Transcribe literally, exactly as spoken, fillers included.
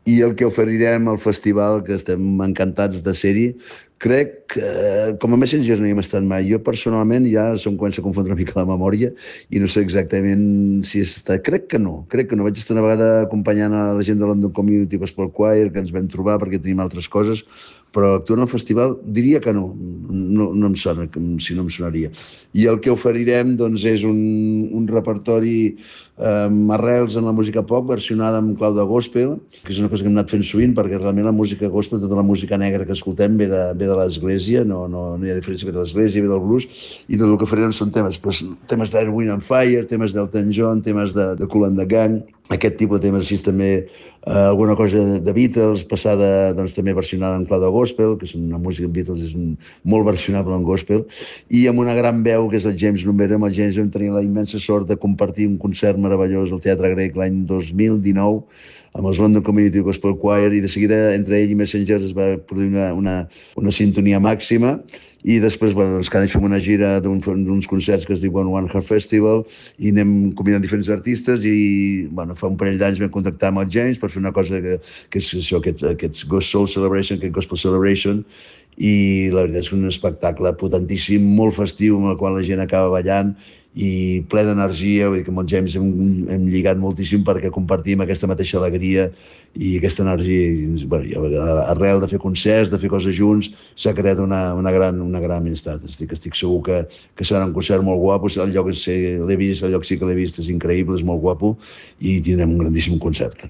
I el que oferirem al festival, que estem encantats de ser-hi, crec que com a Messenger no hi hem estat mai. Jo personalment ja se'm comença a confondre una mica la memòria i no sé exactament si és estat. Crec que no, crec que no. Vaig estar una vegada acompanyant a la gent de London Community Gospel Choir, que ens vam trobar perquè tenim altres coses, però actuant al festival diria que no, no, no em sona, si no em sonaria. I el que oferirem doncs, és un, un repertori amb arrels en la música pop versionada en clau de gospel, que és una cosa que hem anat fent sovint perquè realment la música gospel, tota la música negra que escoltem ve de, ve de l'església, no, no, no hi ha diferència, ve de l'església, ve del blues, i tot el que farem són temes, doncs, temes d'Air, Wind and Fire, temes d'Elton John, temes de, de Kool and the Gang, aquest tipus de temes així també, eh, alguna cosa de, de Beatles, passada doncs, també versionada en clau de gospel, que és una música de Beatles és un, molt versionable en gospel, i amb una gran veu que és el James Lumber. Amb el James vam tenir la immensa sort de compartir un concert meravellós al Teatre Grec l'any dos mil dinou amb els London Community Gospel Choir, i de seguida entre ell i Messengers es va produir una, una, una sintonia màxima, i després bueno, doncs, cada any fem una gira d'uns un, concerts que es diuen One Heart Festival i anem combinant diferents artistes, i bueno, fa un parell d'anys vam contactar amb el James per fer una cosa que, que és això, aquest, aquest Ghost Soul Celebration, aquest Gospel Celebration, i la veritat és que és un espectacle potentíssim, molt festiu, amb el qual la gent acaba ballant i ple d'energia. Vull dir que amb el James hem, hem lligat moltíssim perquè compartim aquesta mateixa alegria i aquesta energia. I, bueno, arrel de fer concerts, de fer coses junts, s'ha creat una, una, gran, una gran amistat. Estic, estic segur que, que serà un concert molt guapo. El lloc l'he vist, el lloc sí que l'he vist, és increïble, és molt guapo, i tindrem un grandíssim concert.